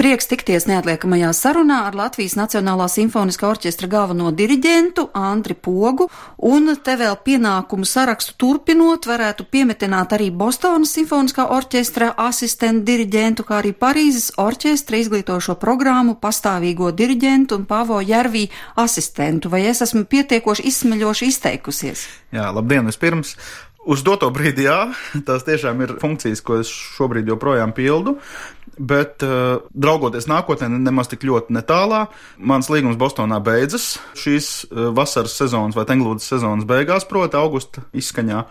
Prieks tikties neatliekamajā sarunā ar Latvijas Nacionālā simfoniskā orķestra galveno diriģentu Andri Pogu, un te vēl pienākumu sarakstu turpinot varētu piemetināt arī Bostonas simfoniskā orķestra asistentu diriģentu, kā arī Parīzes orķestra izglītošo programmu pastāvīgo diriģentu un Pavo Jervī asistentu. Vai es esmu pietiekoši izsmeļoši izteikusies? Jā, labdien vispirms! Uz doto brīdi jā, tās tiešām ir funkcijas, ko es šobrīd joprojām pildu, bet draugoties nākotnē nemaz tik ļoti netālā, mans līgums Bostonā beidzas šīs vasaras sezonas vai tenglūdas sezonas beigās, proti augusta izskaņā.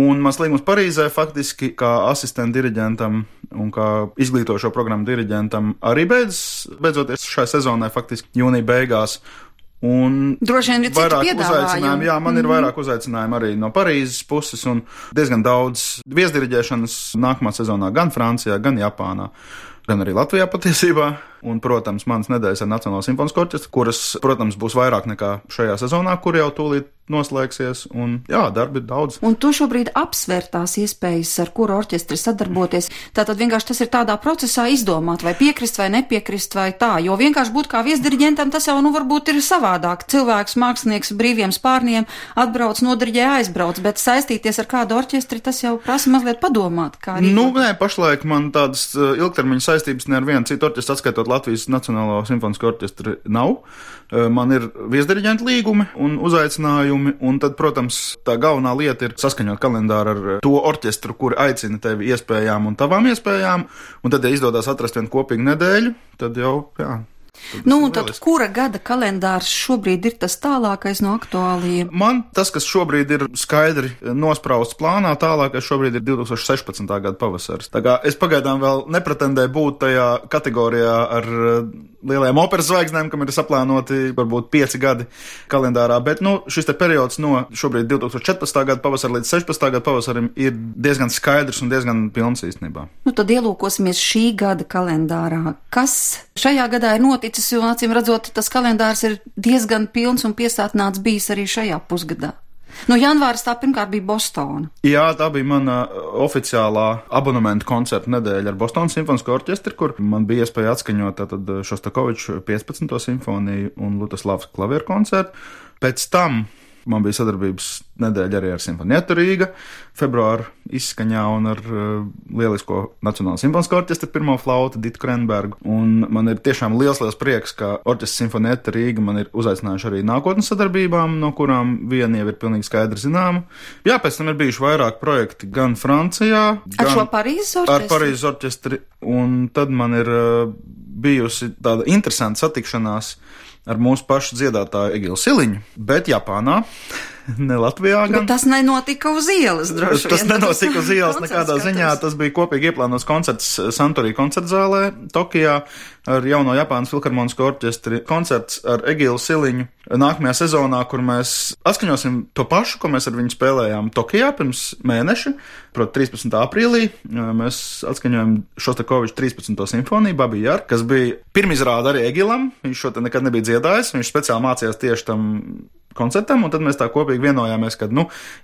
Un mans līgums Parīzē faktiski kā asistentu diriģentam un kā izglītošo programmu diriģentam arī beidzoties šai sezonai faktiski jūnija beigās. Un droši vien ir citu piedāvājumu. Jā, man ir vairāk uzaicinājumu arī no Parīzes puses un diezgan daudz viesdiriģēšanas nākamā sezonā gan Francijā, gan Japānā, gan arī Latvijā patiesībā. Un, protams, manas nedēļas ar Nacionālo simfonisko orķestru, kuras, protams, būs vairāk nekā šajā sezonā, kur jau tūlīt noslēgsies. Un, jā, darbi ir daudz. Un tu šobrīd apsver tās iespējas, ar kuru orķestri sadarboties. Tātad vienkārši tas ir tādā procesā izdomāt, vai piekrist vai nepiekrist vai tā. Jo vienkārši būt kā viesdiriģentam, tas jau, varbūt ir savādāk. Cilvēks, mākslinieks brīviem spārniem atbrauc, nodiriģē, aizbrauc, bet saistīties ar kādu orķestri, tas jau prasa mazliet padomāt. Nē, pašlaik man tādas ilgtermiņa saistības ne ar vienu citu orķestru atskaitot Latvijas Nacionālo simfonisko orķestru nav. Man ir viesdiriģenta līgumi un uzaicinājumi, un tad, protams, tā galvenā lieta ir saskaņot kalendāru ar to orķestru, kuri aicina tevi iespējām un tavām iespējām, un tad, ja izdodas atrast vienu kopīgu nedēļu, tad jau, jā. Tad kura gada kalendārs šobrīd ir tas tālākais no aktuālajiem? Man tas, kas šobrīd ir skaidri nosprausts plānā, tālākais šobrīd ir 2016. Gada pavasaris. Tā kā es pagaidām vēl nepretendēju būt tajā kategorijā ar lielajām operas zvaigznēm, kam ir saplānoti varbūt 5 gadi kalendārā, bet šis te periods no šobrīd 2014. Gada pavasara līdz 16. Gada pavasarim ir diezgan skaidrs un diezgan pilns īstenībā. Tad ielūkosimies šī gada kalendārā. Kas šajā gadā ir noticis, jo acīm redzot, tas kalendārs ir diezgan pilns un piesātināts bijis arī šajā pusgadā? Janvāris tā pirmkārt bija Bostona. Jā, tā bija mana oficiālā abonementu koncerta nedēļa ar Bostonas simfonisko orķestri, kur man bija iespēja atskaņot tātad Šostakoviču 15. simfoniju un Lutaslavas klavieru koncertu. Pēc tam man bija sadarbības nedēļa arī ar Simfonietu Rīga februāra izskaņā un ar lielisko Nacionālo simfonisko orķestru pirmo flautu Ditu Krenbergu. Un man ir tiešām liels prieks, ka orķestrs Simfonieta Rīga man ir uzaicinājuši arī nākotnes sadarbībām, no kurām viena jau ir pilnīgi skaidri zināma. Jā, pēc tam ir bijuši vairāk projekti gan Francijā, ar šo Parīzes orķestri? Ar Parīzes orķestri, un tad man ir bijusi tāda interesanta satikšanās ar mūsu pašu dziedātāju Egilu Siliņu, bet Japānā, ne Latvijā gan. Bet tas nenotika uz ielas, droši vien. Tas nenotika uz ielas nekādā ziņā, tas bija kopīgi ieplānots koncerts Santori koncertzālē Tokijā ar jauno Japānas filharmonisko orķestri. Koncerts ar Egilu Siliņu nākamajā sezonā, kur mēs atskaņosim to pašu, ko mēs ar viņu spēlējām Tokijā pirms mēneša, proti 13. aprīlī. Mēs atskaņojam Šostakoviču 13. simfoniju Babi Jar, kas bija pirmizrāde arī Egilam. Viņš šo te nekad nebija dziedājis, viņš speciāli mācījās tieši tam koncertam, un tad mēs tā kopīgi vienojāmies, ka,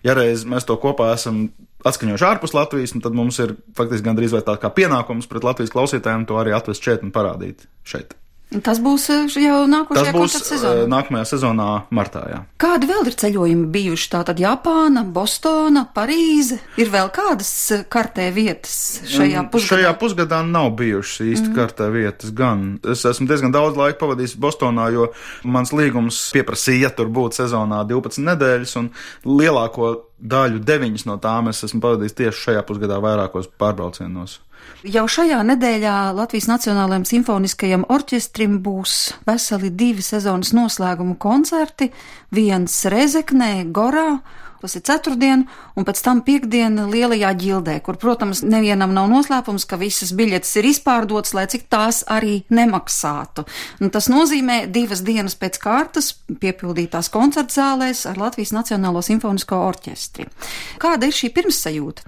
ja reiz mēs to kopā esam atskaņojuši ārpus Latvijas, tad mums ir faktiski gandrīz vai tā kā pienākums pret Latvijas klausītājiem to arī atvest šeit un parādīt šeit. Tas būs jau nākošajā koncerta sezonā? Tas būs nākamajā sezonā martā, jā. Kādi vēl ir ceļojumi bijuši? Tātad Japāna, Bostona, Parīze? Ir vēl kādas kartē vietas šajā pusgadā? Šajā pusgadā nav bijušas īsti kartē vietas gan. Es esmu diezgan daudz laika pavadījis Bostonā, jo mans līgums pieprasīja tur būt sezonā 12 nedēļas, un lielāko daļu 9 no tām es esmu pavadījis tieši šajā pusgadā vairākos pārbraucienos. Jau šajā nedēļā Latvijas Nacionālajiem simfoniskajam orķestrim būs veseli 2 sezonas noslēguma koncerti, viens Rezeknē, Gorā, tas ir ceturtdien, un pēc tam piekdiena Lielajā ģildē, kur, protams, nevienam nav noslēpums, ka visas biļetes ir izpārdotas, lai cik tās arī nemaksātu. Un tas nozīmē 2 dienas pēc kārtas piepildītās koncertzālēs ar Latvijas Nacionālo simfonisko orķestri. Kāda ir šī pirmssajūta?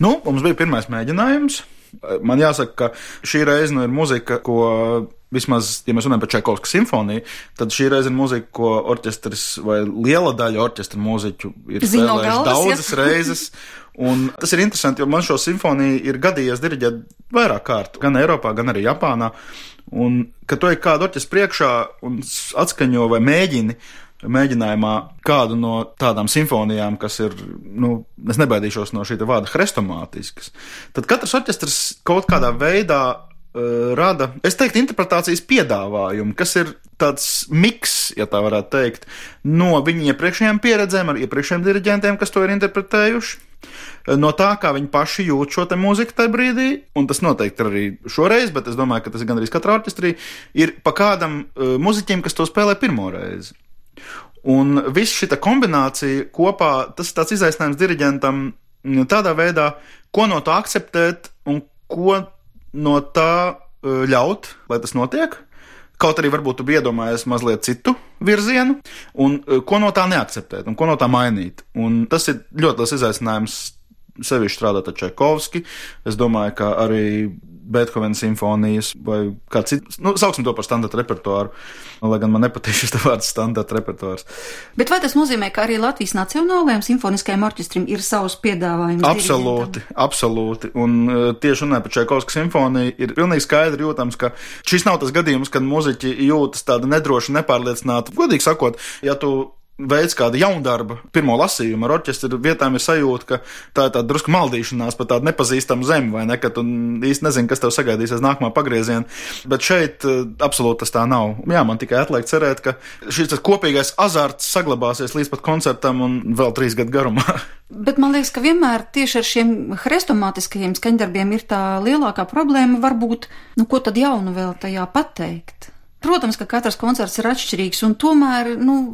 Mums bija pirmais mēģinājums. Man jāsaka, ka šī reize ir muzika, ko vismaz, ja mēs runājam par Čaikovska simfoniju, tad šī reize ir muzika, ko orķestris vai liela daļa orķestra mūziķu ir spēlējuši daudzas reizes. Un tas ir interesanti, jo man šo simfoniju ir gadījies diriģēt vairāk kārt, gan Eiropā, gan arī Japānā. Un, kad tu ej kādu orķestru priekšā un atskaņo vai mēģinājumā kādu no tādām simfonijām, kas ir, es nebaidīšos no šī vārda hrestomātiskas, tad katrs orķestrs kaut kādā veidā rada, es teiktu, interpretācijas piedāvājumu, kas ir tāds miks, ja tā varētu teikt, no viņu iepriekšējām pieredzēm ar iepriekšējiem diriģentiem, kas to ir interpretējuši, no tā, kā viņi paši jūt šo te mūziku tajā brīdī, un tas noteikti ir arī šoreiz, bet es domāju, ka tas ir gandrīz katrā orķestrī, ir pa kādam muziķim, kas to spēlē pirmo reizi. Un viss šita kombinācija kopā, tas ir tāds izaicinājums diriģentam tādā veidā, ko no tā akceptēt un ko no tā ļaut, lai tas notiek. Kaut arī varbūt tu iedomājies mazliet citu virzienu, un ko no tā neakceptēt, un ko no tā mainīt. Un tas ir ļoti liels izaicinājums sevišķi strādāt ar Čaikovski. Es domāju, ka arī Beethovena simfonijas vai kāds cits, sauksim to par standarta repertuāru, lai gan man nepatīk šis vārds standarta repertuārs. Bet vai tas nozīmē, ka arī Latvijas Nacionālajiem simfoniskajiem orķestrim ir savs piedāvājums? Absolūti. Un tieši runājot par Čaikovska simfoniju, ir pilnīgi skaidri jūtams, ka šis nav tas gadījums, kad muziķi jūtas tāda nedroši, nepārliecināta. Godīgi sakot, ja tu veids kāda jaundarba pirmo lasījumu ar orķestru, vietām ir sajūta, ka tā ir tāda drusku maldīšanās par tādu nepazīstamu zemi, vai ne, ka tu īsti nezini, kas tev sagaidīsies nākamā pagrieziena, bet šeit absolūti tas tā nav. Jā, man tikai atliek cerēt, ka šis kopīgais azarts saglabāsies līdz pat koncertam un vēl 3 gadu garumā. Bet man liekas, ka vienmēr tieši ar šiem hrestomātiskajiem skaņdarbiem ir tā lielākā problēma varbūt, ko tad jaunu vēl tajā pateikt. Protams, ka katrs koncerts ir atšķirīgs, un tomēr,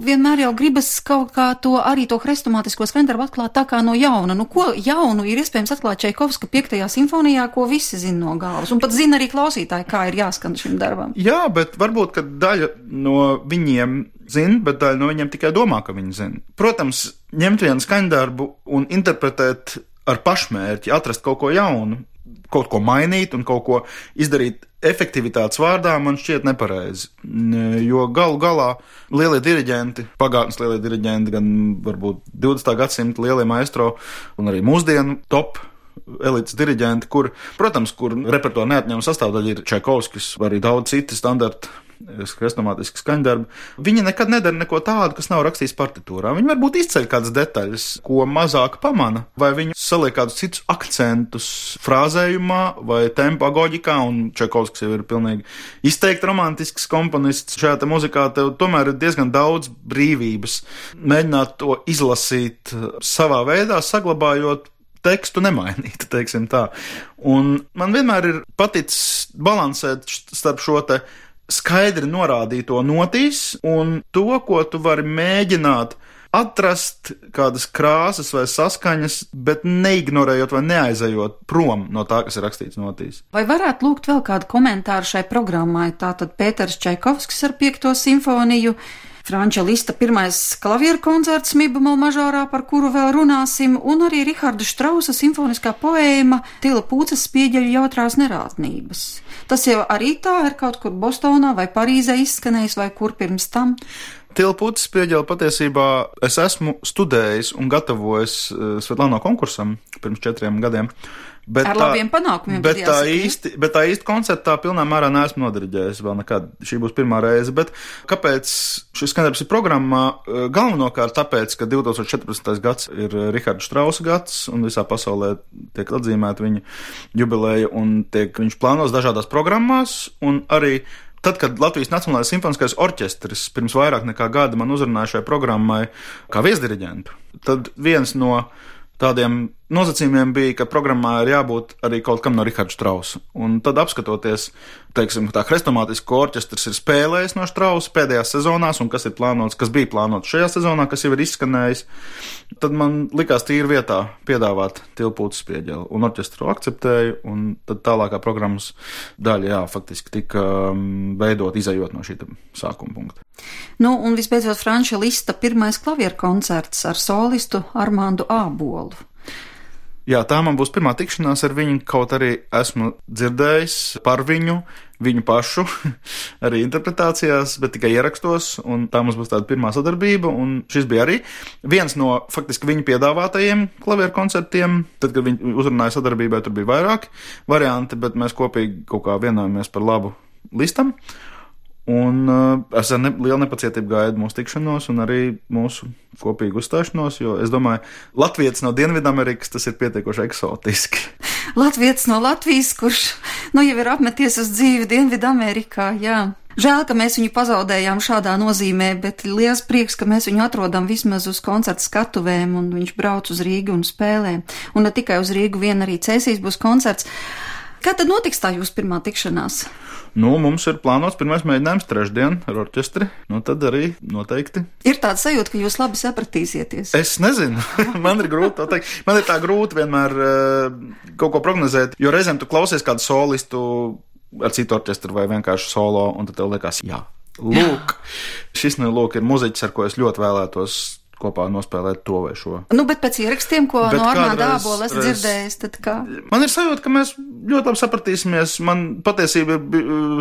vienmēr jau gribas kaut kā arī to hrestomātisko skaņdarbu atklāt tā kā no jauna. Ko jaunu ir iespējams atklāt Čaikovska 5. simfonijā, ko visi zina no galvas, un pat zina arī klausītāji, kā ir jāskan šim darbam. Jā, bet varbūt, ka daļa no viņiem zina, bet daļa no viņiem tikai domā, ka viņi zina. Protams, ņemt vienu skaņdarbu un interpretēt ar pašmērķi, atrast kaut ko jaunu, kaut ko mainīt un kaut ko izdarīt efektivitātes vārdā, man šķiet nepareizi. Jo galu galā lielie diriģenti, pagātnes lielie diriģenti, gan varbūt 20. gadsimta lielie maestro un arī mūsdienu top elites diriģenti, kur repertuāra neatņemama sastāvdaļa ir Čaikovskis, arī daudz citi standarti hrestomātiski skaņdarbi. Viņi nekad nedara neko tādu, kas nav rakstījis partitūrā. Viņi varbūt izceļ kādas detaļas, ko mazāk pamana, vai viņi saliek kādus citus akcentus frāzējumā vai tempa agoģikā, un Čaikovskis jau ir pilnīgi izteikti romantisks komponists. Šajā te muzikā tev tomēr ir diezgan daudz brīvības mēģināt to izlasīt savā veidā, saglabājot tekstu nemainīt, teiksim tā. Un man vienmēr ir paticis balansēt starp šo te skaidri norādīto notīs un to, ko tu vari mēģināt atrast kādas krāsas vai saskaņas, bet neignorējot vai neaizejot prom no tā, kas ir rakstīts notīs. Vai varētu lūgt vēl kādu komentāru šai programmai? Tātad Pēters Čaikovskis ar 5. simfoniju, Franča Lista 1. klavieru koncerts Mi-bemol mažorā, par kuru vēl runāsim, un arī Riharda Štrausa simfoniskā poēma Tila Pūces spieģeļu jautrās nerātnības. Tas jau arī tā ir kaut kur Bostonā vai Parīzē izskanējis, vai kur pirms tam? Tila Pūces spieģeli patiesībā es esmu studējis un gatavojis Svetlāno konkursam pirms 4 gadiem. Ar labiem panākumiem. Bet tā īsti koncertā pilnā mērā neesmu nodiriģējis vēl nekad. Šī būs pirmā reize. Bet kāpēc šis skaņdarbs ir programmā? Galvenokārt tāpēc, ka 2014. gads ir Riharda Štrausa gads un visā pasaulē tiek atzīmēta viņa jubileja un viņš plānos dažādās programmās, un arī tad, kad Latvijas Nacionālais simfoniskais orķestris pirms vairāk nekā gada man uzrunāja šai programmai kā viesdiriģentu, tad viens no tādiem nosacījumiem bija, ka programmā ir jābūt arī kaut kam no Riharda Štrausa. Un tad apskatoties, teiksim, tā hrestomātisko orķestris ir spēlējis no Štrausa pēdējās sezonās, un kas bija plānots šajā sezonā, kas jau ir izskanējis, tad man likās tīri vietā piedāvāt Tila Pūces spieģeli. Un orķestru akceptēju, un tad tālākā programmas daļa, faktiski tika veidot, izejot no šī sākuma punkta. Un visbeidzot Franča Lista 1. klavieru koncerts ar solistu Armandu Ābolu. Jā, tā man būs pirmā tikšanās ar viņu, kaut arī esmu dzirdējis par viņu pašu, arī interpretācijās, bet tikai ierakstos, un tā mums būs tāda pirmā sadarbība, un šis bija arī viens no faktiski viņa piedāvātajiem klavieru koncertiem. Tad, kad viņi uzrunāja sadarbībai, tur bija vairāki varianti, bet mēs kopīgi kaut kā vienojamies par labu listam. Un es ar lielu nepacietību gaidu mūsu tikšanos un arī mūsu kopīgu uzstāšanos, jo es domāju, latvietis no Dienvidamerikas tas ir pietiekoši eksotiski. Latvietis no Latvijas, kurš jau ir apmeties uz dzīvi Dienvidamerikā, jā. Žēl, ka mēs viņu pazaudējām šādā nozīmē, bet liels prieks, ka mēs viņu atrodam vismaz uz koncertu skatuvēm un viņš brauc uz Rīgu un spēlē. Un ne tikai uz Rīgu, vien arī Cēsīs būs koncerts. Kā tad notiks tā jūsu pirmā tikšanās? Mums ir plānots pirmais mēģinājums trešdien ar orķestri, tad arī noteikti. Ir tāda sajūta, ka jūs labi sapratīsieties. Es nezinu, man ir grūti to teikt. Man ir tā grūti vienmēr kaut ko prognozēt, jo reizēm tu klausies kādu solistu ar citu orķestru vai vienkārši solo, un tad tev liekas, jā, lūk, šis ir muziķis, ar ko es ļoti vēlētos kopā nospēlēt to vai šo. Bet pēc ierakstiem, ko no Arnāda Ābola esat dzirdējis, tad kā? Man ir sajūta, ka mēs ļoti labi sapratīsimies. Man patiesība,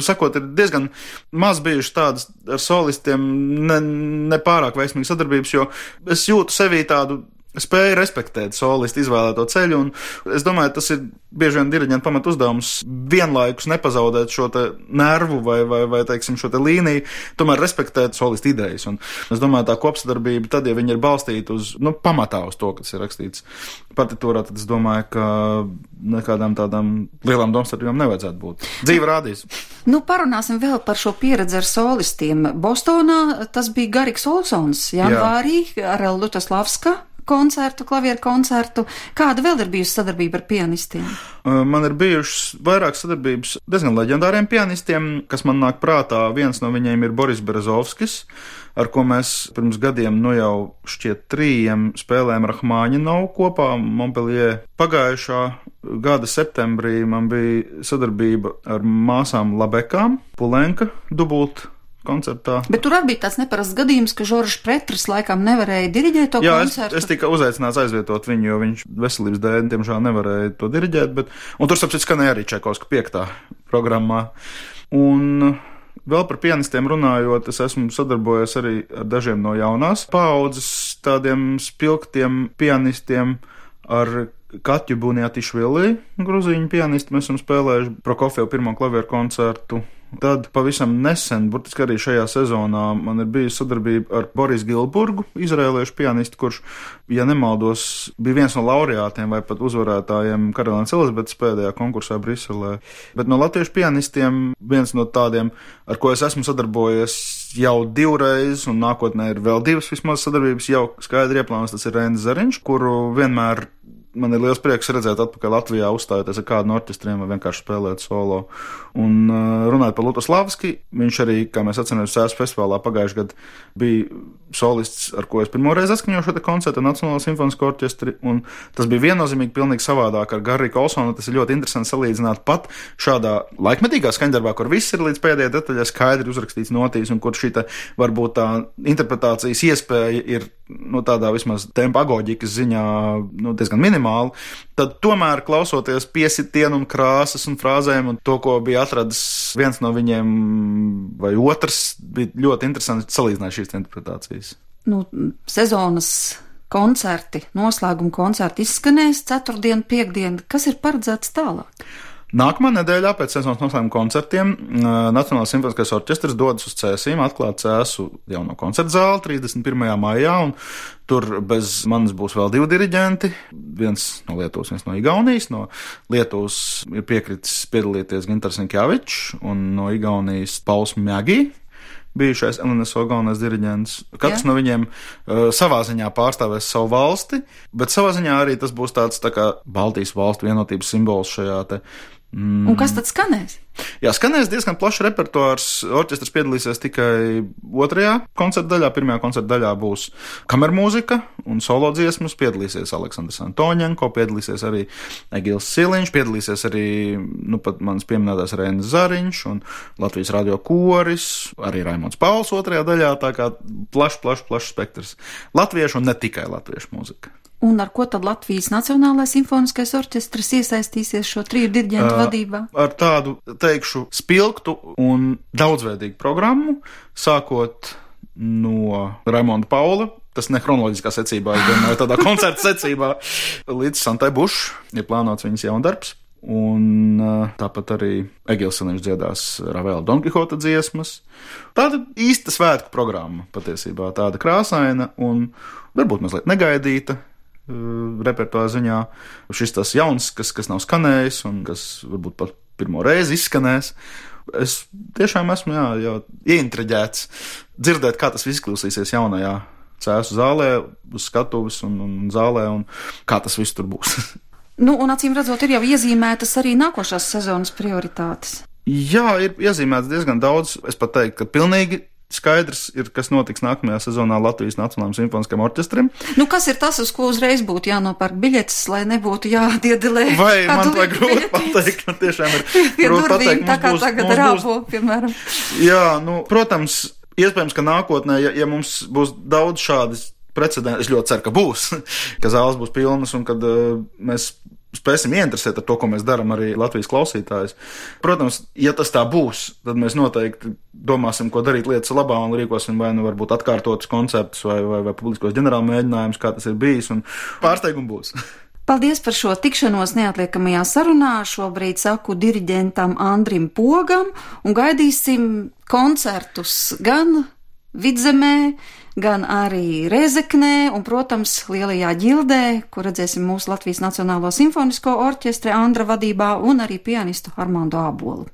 sakot, ir diezgan maz bijuši tādas ar solistiem ne pārāk veiksmīgas sadarbības, jo es jūtu sevī tādu spēju respektēt solistu izvēlēto ceļu, un es domāju, tas ir bieži vien diriģenta pamat uzdevums vienlaikus nepazaudēt šo te nervu vai teiksim, šo te līniju, tomēr respektēt solistu idejas. Un es domāju, tā kopsadarbība, tad, ja viņi ir balstīti uz, pamatā uz to, kas ir rakstīts partitūrā, tad es domāju, ka nekādām tādām lielām domstarpībām nevajadzētu būt. Dzīve rādīs. Parunāsim vēl par šo pieredzi ar solistiem. Bostonā tas bija Gariks Olsons, janvārī ar Lutaslavska koncertu, klavieru koncertu. Kāda vēl ir bijusi sadarbība ar pianistiem? Man ir bijušas vairākas sadarbības diezgan leģendāriem pianistiem, kas man nāk prātā. Viens no viņiem ir Boris Berezovskis, ar ko mēs pirms gadiem, jau šķiet 3 spēlējām Rahmaņinovu kopā Montpellier. Pagājušā gada septembrī man bija sadarbība ar māsām Labekām, Pulenka dubult koncertā. Bet tur arī bija tāds neparasts gadījums, ka Žoržs Pretris laikam nevarēja diriģēt to koncertu. Jā, es tika uzaicināts aizvietot viņu, jo viņš veselības dēļ, diemžēl, nevarēja to diriģēt, un tur, sapcīt, skanēja arī Čaikovska 5. programmā. Un vēl par pianistiem runājot, es esmu sadarbojies arī ar dažiem no jaunās paaudzes tādiem spilgtiem pianistiem, ar Katju Buniatišvili, gruzīņu pianistu, mēs esam spēlējuši Prokofjevu 1. klavieru koncertu. Tad pavisam nesen, burtiski arī šajā sezonā, man ir bijusi sadarbība ar Boris Gilburgu, izrēliešu pianistu, kurš, ja nemaldos, bija viens no laureātiem vai pat uzvarētājiem Karalienes Elizabetes pēdējā konkursā Briselē. Bet no latviešu pianistiem viens no tādiem, ar ko es esmu sadarbojies jau 2 reizes, un nākotnē ir vēl 2 vismaz sadarbības jau skaidri ieplānotas, tas ir Reinis Zariņš, kuru vienmēr man ir liels prieks redzēt atpakaļ Latvijā, uzstājoties ar kādu no orķestriem vai vienkārši spēlēt solo. Un runājot par Lutaslavski, viņš arī, kā mēs atceramies, Sēsku festivālā pagājušajā gadā bija solists, ar ko es pirmo reizi atskaņoju šo te koncertu Nacionālo simfonisko orķestri, un tas bija viennozīmīgi pilnīgi savādāk ar Gariku Olsonu. Tas ir ļoti interesanti salīdzināt pat šādā laikmetīgā skaņdarbā, kur viss ir līdz pēdējai detaļai skaidri uzrakstīts notīs, un kur šī varbūt tā interpretācijas iespēja ir tādā vismaz tempa agoģikas ziņā diezgan minimāla, tad tomēr klausoties piesitienu un krāsas un frāzēm un to, ko bija atradis viens no viņiem vai otrs, bija ļoti interesanti salīdzināt šīs interpretācijas. Sezonas koncerti, noslēguma koncerti izskanēs 4. 5. Kas ir paredzēts tālāk? Nākamā nedēļā pēc sezonas noslēguma koncertiem Nacionālais simfoniskais orķestris dodas uz Cēsīm, atklāt Cēsu jauno koncertu zāli 31. maijā, un tur bez manis būs vēl 2 diriģenti, viens no Lietuvas, viens no Igaunijas. No Lietuvas ir piekritis piedalīties Gintars Inkjavičs, un no Igaunijas Pauls Mjagi, bijušais LNSO galvenais diriģents. Katrs no viņiem savā ziņā pārstāvēs savu valsti, bet savā ziņā arī tas būs tāds tā kā Baltijas valstu vienotības simbols šajā te. Un kas tad skanēs? Jā, skanēs diezgan plašs repertuārs. Orķestris piedalīsies tikai 2. koncerta daļā. 1. koncerta daļā būs kamermūzika un solo dziesmas. Piedalīsies Aleksandrs Antoņenko, piedalīsies arī Egils Siliņš, piedalīsies arī pat mans pieminētais Reinis Zariņš un Latvijas radio koris, arī Raimonds Pauls 2. daļā, tā kā plašs spektrs latviešu un ne tikai latviešu mūzika. Un ar ko tad Latvijas Nacionālais simfoniskais orķestris iesaistīsies šo 3 diriģentu vadībā? Ar tādu, teikšu, spilgtu un daudzveidīgu programmu, sākot no Raimonda Paula, tas ne chronoloģiskā secībā, es domāju, tādā koncerta secībā, līdz Santai Buš, ir plānots viņas jaundarbs. Un tāpat arī Egils Siliņš dziedās Ravela Don Kihota dziesmas. Tāda īsta svētku programma patiesībā, tāda krāsaina un varbūt mazliet negaidīta. Repertuāra ziņā šis tas jauns, kas nav skanējis un kas varbūt pat pirmo reizi izskanēs. Es tiešām esmu ieintriģēts dzirdēt, kā tas viss izklausīsies jaunajā Cēsu zālē, uz skatuves un zālē, un kā tas viss tur būs. Nu, un acīm redzot, ir jau iezīmētas arī nākošās sezonas prioritātes. Jā, ir iezīmēts diezgan daudz. Es pat teiktu, ka pilnīgi skaidrs ir, kas notiks nākamajā sezonā Latvijas Nacionālajam simfoniskajam orķestrim. Nu, kas ir tas, uz ko uzreiz būtu jānopērk biļetes, lai nebūtu jādiedelē? Vai man vajag grūti pateikt, man tiešām ir grūti pateikt. Tā kā tagad Rābo, piemēram. Jā, nu, protams, iespējams, ka nākotnē, ja mums būs daudz šādas precedenti, es ļoti ceru, ka būs, ka zāles būs pilnas un kad mēs spēsim ieinteresēt ar to, ko mēs darām arī Latvijas klausītājus. Protams, ja tas tā būs, tad mēs noteikti domāsim, ko darīt lietas labā un rīkosim vai nu varbūt atkārtotus konceptus vai publiskos ģenerāla mēģinājumus, kā tas ir bijis, un pārsteigumi būs. Paldies par šo tikšanos neatliekamajā sarunā. Šobrīd saku diriģentam Andrim Pogam un gaidīsim koncertus gan Vidzemē, gan arī Rēzeknē un, protams, Lielajā ģildē, kur redzēsim mūsu Latvijas Nacionālo simfonisko orķestra Andra vadībā un arī pianistu Armando Ābolu.